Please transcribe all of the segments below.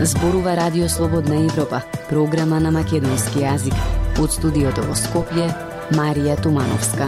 Зборува Радио Слободна Европа, програма на македонски јазик. Од студиото во Скопје, Марија Тумановска.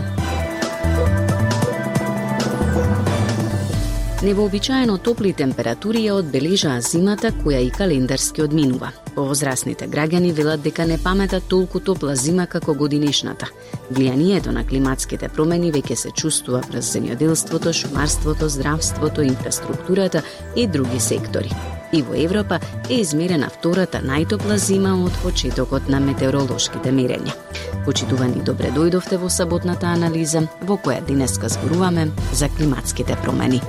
Невообичаено топли температури ја одбележаа зимата која и календарски одминува. Повозрасните граѓани велат дека не паметат толку топла зима како годинешната. Влијанието на климатските промени веќе се чувствува врз земјоделството, шумарството, здравството, инфраструктурата и други сектори. И во Европа е измерена втората најтопла зима од почетокот на метеоролошките мерења. Почитувани, добре дојдовте во саботната анализа, во која денеска зборуваме за климатските промени.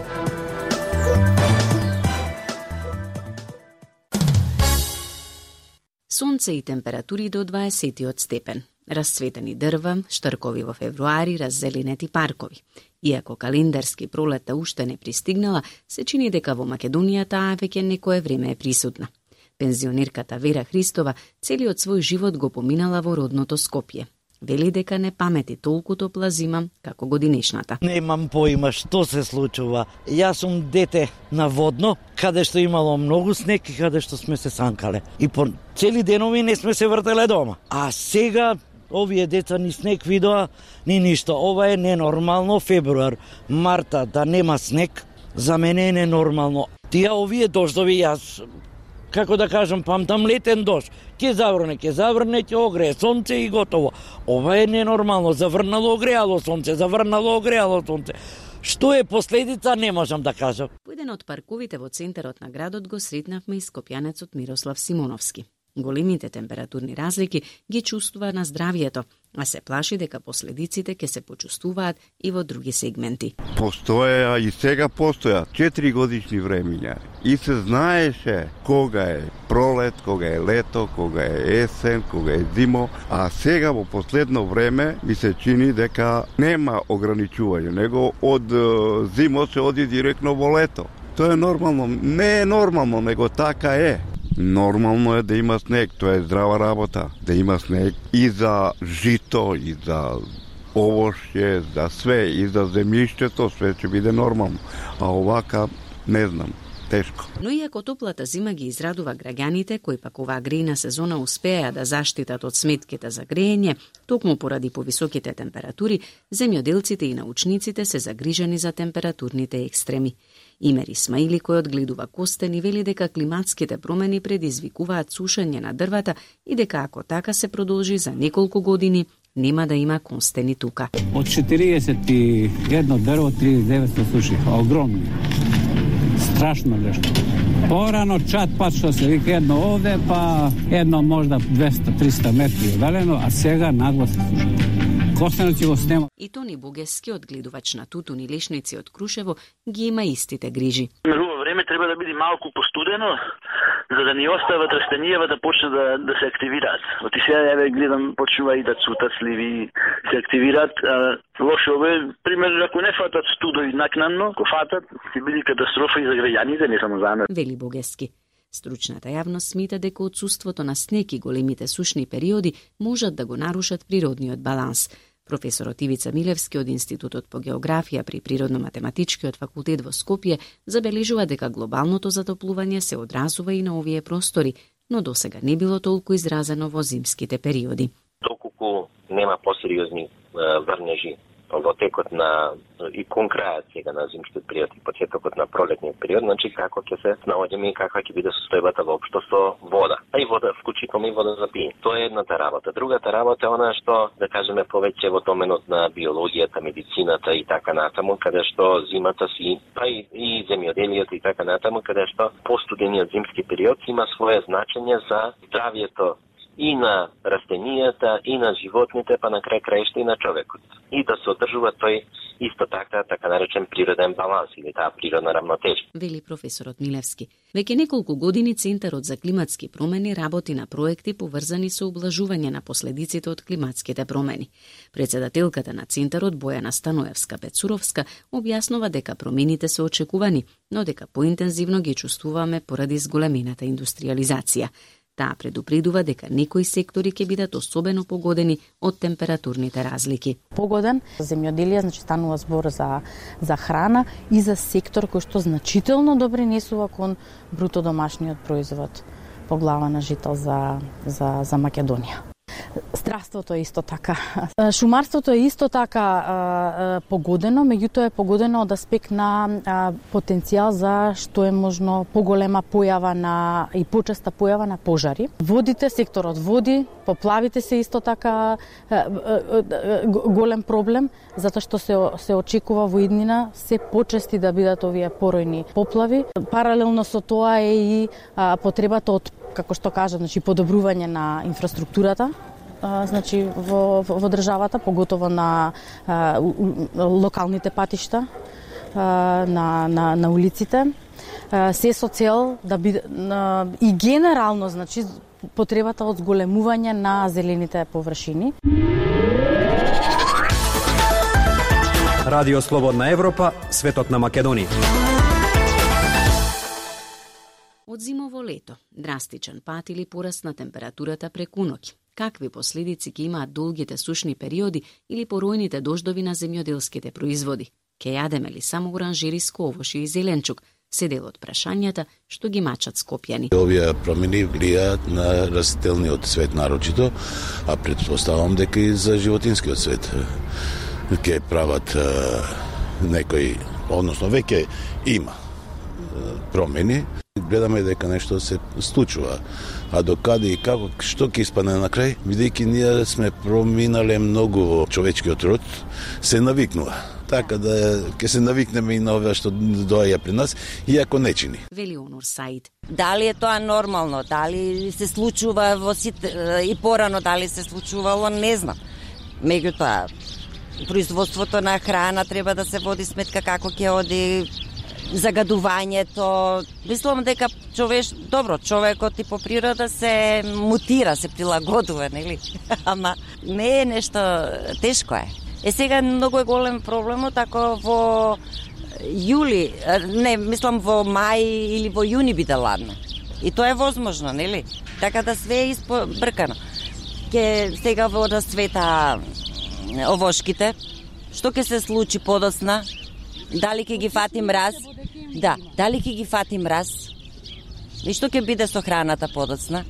Сонце и температури до 20 степен. Расцветени дрва, штркови во февруари, раззеленети паркови. Иако календарски пролета уште не пристигнала, се чини дека во Македонија таа веќе некое време е присутна. Пензионерката Вера Христова целиот свој живот го поминала во родното Скопје. Вели дека не памети толку топла зима како годинешната. Немам поима што се случува. Јас сум дете на водно, каде што имало многу снег и каде што сме се санкале. И по цели денови не сме се вртеле дома. А сега овие деца ни снег видоа, ни ништо. Ова е ненормално. Февруар, марта да нема снег, за мене е ненормално. Тие овие дождови, јас како да кажам, памтам летен дожд. Ке заврне, ќе огрее сонце и готово. Ова е ненормално. Заврнало, огреало сонце, заврнало, огреало сонце. Што е последица, не можам да кажам. Во еден од парковите во центарот на градот го сретнавме и скопјанецот Мирослав Симоновски. Големите температурни разлики ги чувствува на здравието, а се плаши дека последиците ќе се почувствуваат и во други сегменти. Постоја и сега постоја 4 годишни времиња и се знаеше кога е пролет, кога е лето, кога е есен, кога е зимо, а сега во последно време ми се чини дека нема ограничување, него од зимо се оди директно во лето. Тоа е нормално, не е нормално, него така е. Нормално е да има снег, тоа е здрава работа. Да има снег и за жито, и за овошје, за све, и за земјиштето, све ќе биде нормално. А овака, не знам, тешко. Но иако топлата зима ги израдува граѓаните, кои пак оваа грејна сезона успеа да заштитат од сметките за грејење, токму поради повисоките температури, земјоделците и научниците се загрижени за температурните екстреми. Имер Исмаили, кој одгледува костен, и вели дека климатските промени предизвикуваат сушење на дрвата и дека ако така се продолжи за неколку години, нема да има констени тука. Од 41 дрво 39 се сушиха, огромни. Страшно нешто. Порано чат пат што се вика едно овде, па едно можда 200-300 метри одалено, а сега нагло се суши. Костенот го снема. И Тони Бугески, одгледувач на тутун и лешници од Крушево, ги има истите грижи. Во време треба да биде малку постудено, за да ни остават растенијава да почне да се активираат. Оти сега ја гледам почнува и да цутат сливи, се активираат. Лошо е, пример, ако не фатат студови накнанно, ако фатат, ќе биде катастрофа и за граѓаните, не само за нас. Вели Бугески. Стручната јавност смета дека отсуството на снег и големите сушни периоди можат да го нарушат природниот баланс. Професорот Ивица Милевски од Институтот по географија при Природно-математичкиот факултет во Скопје забележува дека глобалното затоплување се одразува и на овие простори, но досега не било толку изразено во зимските периоди. Доколку нема посериозни врнежи во текот на и кон крајот сега на зимскиот период и почетокот на пролетниот период, значи како ќе се наоѓаме и каква ќе биде состојбата воопшто со вода. А и вода, вклучително и вода за пиење. Тоа е едната работа. Другата работа е она што, да кажеме, повеќе во доменот на биологијата, медицината и така натаму, каде што зимата си, па и земјоделието и така натаму, каде што постудениот зимски период има свое значење за здравието и на растенијата, и на животните, па на крај краишта и на човекот. И да се одржува тој исто така наречен природен баланс или таа природна рамнотежа. Вели професорот Милевски. Веќе неколку години Центарот за климатски промени работи на проекти поврзани со облажување на последиците од климатските промени. Председателката на Центарот Бојана Станоевска-Пецуровска објаснува дека промените се очекувани, но дека поинтензивно ги чувствуваме поради зголемената индустриализација. Таа предупредува дека некои сектори ќе бидат особено погодени од температурните разлики. Погоден земјоделие, значи станува збор за храна и за сектор кој што значително допринесува кон бруто домашниот производ. по глава на жител за Македонија. Здравството е исто така. Шумарството е исто така погодено, меѓутоа е погодено од аспект на потенцијал за што е можно поголема појава и почеста појава на пожари. Водите, секторот води, поплавите се исто така голем проблем, затоа што се очекува во иднина се почести да бидат овие поројни поплави. Паралелно со тоа е и потребата од, како што кажа, значи подобрување на инфраструктурата, значи во државата, поготово на локалните патишта, на улиците, се со цел да биде и генерално, значи потребата од зголемување на зелените површини. Радио Слободна Европа, светот на Македонија. Од зимо во лето, драстичен пат или пораст на температурата преку ноќ. Какви последици ќе имаат долгите сушни периоди или поројните дождови на земјоделските производи? Ке јадеме ли само оранжериско овошје и зеленчук? Се дел од прашањата што ги мачат скопјани. Овие промени влијаат на растителниот свет нарочито, а претпоставам дека и за животинскиот свет ќе прават некои, односно веќе има промени. Гледаме дека нешто се случува, а докаде и како, што ќе испадне на крај, бидејќи ние сме проминале многу во човечкиот род, се навикнува. Така да ќе се навикнеме и на ова што доаѓа при нас, иако не чини. Вели Онур Саид. Дали е тоа нормално, дали се случува во и порано, дали се случувало, не знам. Меѓутоа, производството на храна треба да се води сметка како ќе оди загадувањето. Мислам дека човекот и по природа се мутира, се прилагодува, нели? Ама не е нешто тешко е. Сега многу е голем проблемот ако во јули, во мај или во јуни биде ладно. И тоа е возможно, нели? Така да све е испобркано. Сега во света овошките, што ќе се случи подоцна? Дали ќе ги фати мраз? Да, дали ќе ги фати мраз? И што ќе биде со храната подоцна?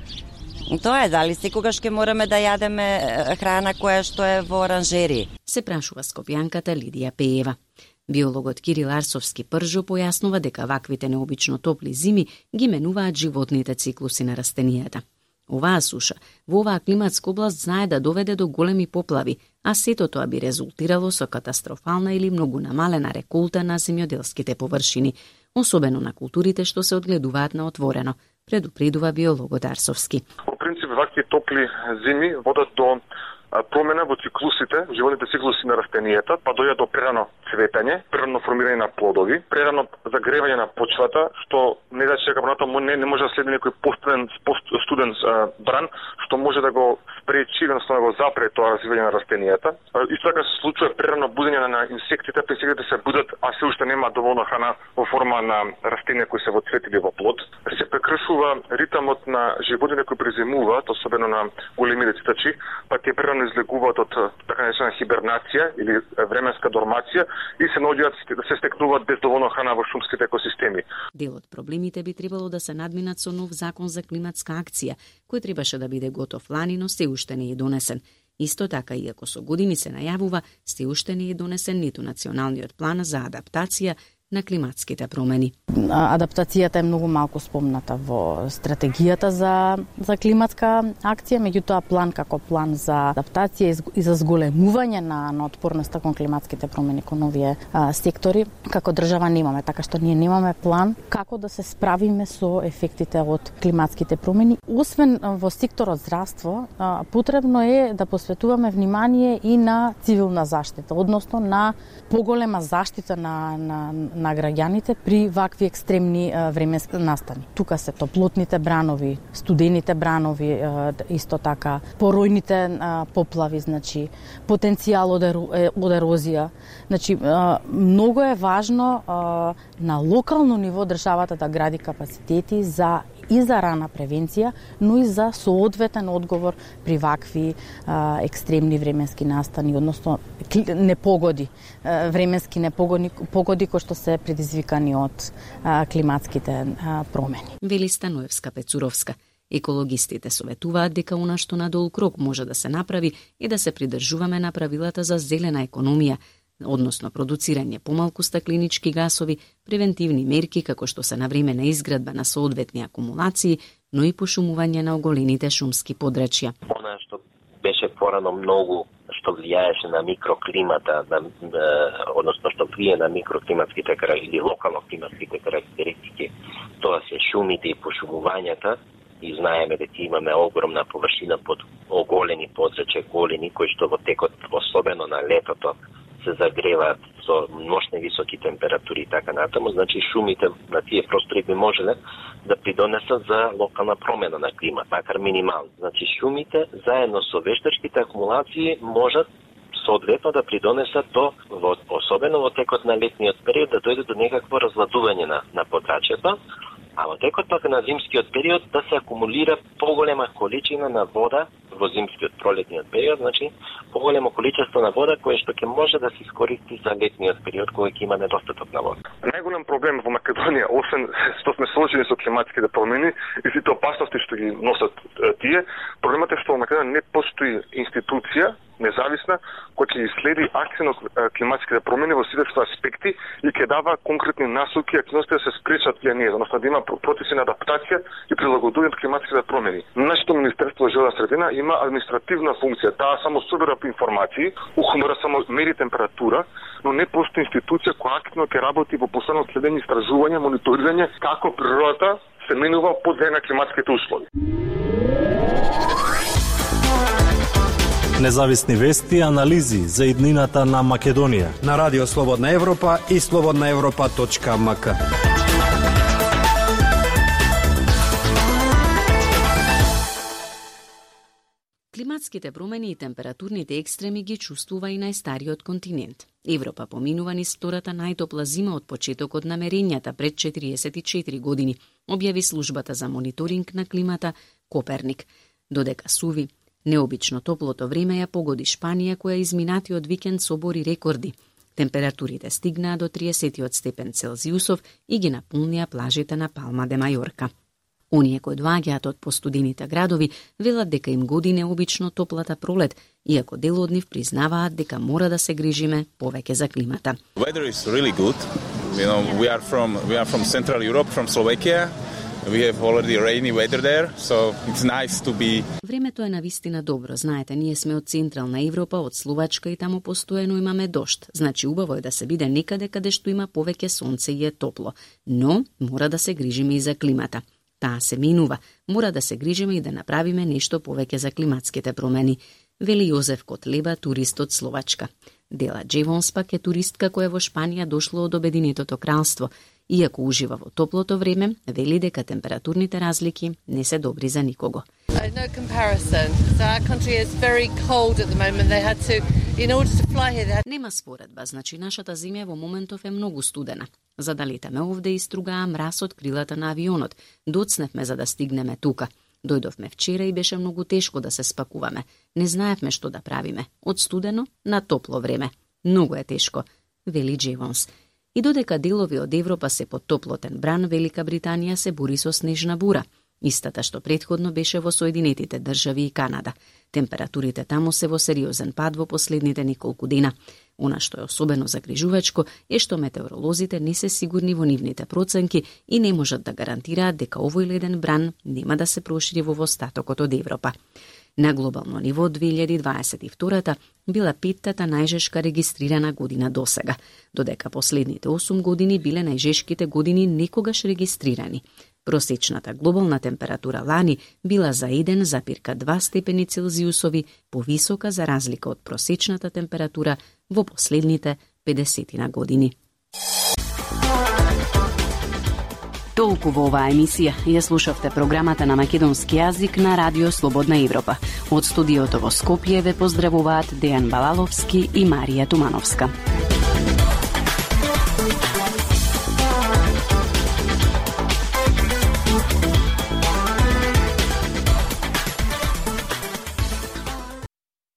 Тоа е, дали секогаш ќе мораме да јадеме храна која што е во оранжерии? Се прашува скопјанката Лидија Пеева. Биологот Кирил Арсовски Пржо појаснува дека ваквите необично топли зими ги менуваат животните циклуси на растенијата. Оваа суша во оваа климатска област знае да доведе до големи поплави, а сето тоа би резултирало со катастрофална или многу намалена реколта на земјоделските површини, особено на културите што се одгледуваат на отворено, предупредува биологот Арсовски. По принцип, вакви топли зими водат до промена во циклусите, животните циклуси на растенијата, па дојде до прерано цветење, прерано формирање на плодови, прерано загревање на почвата, што не значи дека понатаму не може да следи некој постстуден бран, што може да го спречи, односно да го запре тоа развивање на растенијата. Исто така се случува прерано будење на инсектите, па инсектите се будат, а се уште нема доволно храна во форма на растенија кои се во цвет или во плод. Се прекршува ритмот на животните кои презимуваат, особено на големите цитачи, па тие прерано излегуваат од така наречена хибернација или временска дормација и се наоѓаат да се стекнуваат без доволно храна во шумските екосистеми. Дел од проблемите би требало да се надминат со нов закон за климатска акција, кој требаше да биде готов лани, но се уште не е донесен. Исто така, иако со години се најавува, се уште не е донесен ниту националниот план за адаптација на климатските промени. Адаптацијата е многу малку спомната во стратегијата за климатска акција, меѓутоа план како план за адаптација и за зголемување на отпорноста кон климатските промени кон овие сектори, како држава немаме, така што ние немаме план како да се справиме со ефектите од климатските промени. Освен во секторот здравство, потребно е да посветуваме внимание и на цивилна заштита, односно на поголема заштита на граѓаните при вакви екстремни временски настани. Тука се топлотните бранови, студените бранови, исто така поројните поплави, значи потенцијал од ерозија. Значи многу е важно на локално ниво државата да гради капацитети и за рана превенција, но и за соодветен одговор при вакви екстремни временски настани, односно непогоди, временски непогоди кои што се предизвикани од климатските промени. Вели Станоевска Пецуровска. Екологистите советуваат дека она што надолу крок може да се направи е да се придржуваме на правилата за зелена економија, односно продуцирање помалку стакленички гасови, превентивни мерки како што се навремена изградба на соодветни акумулации, но и пошумување на оголените шумски подрачја. Она што беше порано многу што влијаеше на микроклимата, односно што влие на микроклиматските или локално климатските карактеристики, тоа се шумите и пошумувањата, и знаеме дека имаме огромна површина под оголени подрачја, голени, кои што во текот, особено на летото, се загреваат со ношни високи температури и така натаму, значи шумите на тие простори би можеле да придонесат за локална промена на климат, макар минимално. Значи шумите заедно со вештачките акумулации можат соодветно да придонесат особено во текот на летниот период, да дојде до некакво разладување на подрачјето, а во текот пак на зимскиот период да се акумулира поголема количина на вода во зимскиот пролетниот период, значи поголемо количество на вода кое што ќе може да се искористи за летниот период кога ќе има недостаток на вода. Најголем проблем во Македонија, освен што сме соочени со климатските промени и сите опасности што ги носат тие, проблемот е што во Македонија не постои институција независна која ќе следи акција на климатските промени во сите аспекти и ќе дава конкретни насоки и активности да се спречат тие, односно да има процеси на адаптација и прилагодување на климатските промени. Нашето Министерство за животна средина има административна функција, таа само собира информации, ухмора само мери температура, но не постои институција која активно ќе работи во постојано следење, истражување, мониторирање како природата се менува под влијание на климатските услови. Независни вести и анализи за иднината на Македонија на Радио Слободна Европа и slobodnaevropa.mk. Климатските промени и температурните екстреми ги чувствува и најстариот континент. Европа поминува низ втората најтопла зима од почетокот на мерењата пред 44 години, објави службата за мониторинг на климата Коперник. Додека суви, необично топлото време ја погоди Шпанија, која изминатиот викенд собори рекорди. Температурите стигнаа до 30 степен Целзиусов и ги наполнија плажите на Палма де Мајорка. Оние кои доаѓаат од постудените градови велат дека им годи необично топлата пролет, иако дел од нив признаваат дека мора да се грижиме повеќе за климата. Weather is really good. You know, we are from Central Europe, from Slovakia. We have already rainy weather there, so it's nice to be. Времето е навистина добро. Знаете, ние сме од Централна Европа, од Словачка и таму постојано имаме дожд. Значи убаво е да се биде некаде каде што има повеќе сонце и е топло. Но мора да се грижиме и за климата. Таа се минува. Мора да се грижиме и да направиме нешто повеќе за климатските промени, вели Јозеф Котлеба, турист од Словачка. Дела Джевонс пак е туристка која во Шпанија дошла од Обединетото кралство. Иако ужива во топлото време, вели дека температурните разлики не се добри за никого. No comparison. So our country is very cold at the moment. They had to, in order to fly here, Нема споредба, значи нашата земја во моментов е многу студена. За да летаме овде истругаа мраз од крилата на авионот. Доцневме за да стигнеме тука. Дојдовме вчера и беше многу тешко да се спакуваме. Не знаевме што да правиме. Од студено на топло време. Многу е тешко, вели Джевонс. И додека делови од Европа се под топлотен бран, Велика Британија се бори со снежна бура, истата што претходно беше во Соединетите држави и Канада. Температурите таму се во сериозен пад во последните неколку дена. Она што е особено загрижувачко е што метеоролозите не се сигурни во нивните проценки и не можат да гарантираат дека овој леден бран нема да се прошири во остатокот од Европа. На глобално ниво 2022 била петтата најжешка регистрирана година досега, додека последните 8 години биле најжешките години некогаш регистрирани. Просечната глобална температура лани била за 1,2 степени Целзиусови повисока за разлика од просечната температура во последните 50 години. Толку во оваа емисија ја слушавте програмата на македонски јазик на Радио Слободна Европа. Од студиото во Скопје ве поздравуваат Дејан Балаловски и Марија Тумановска.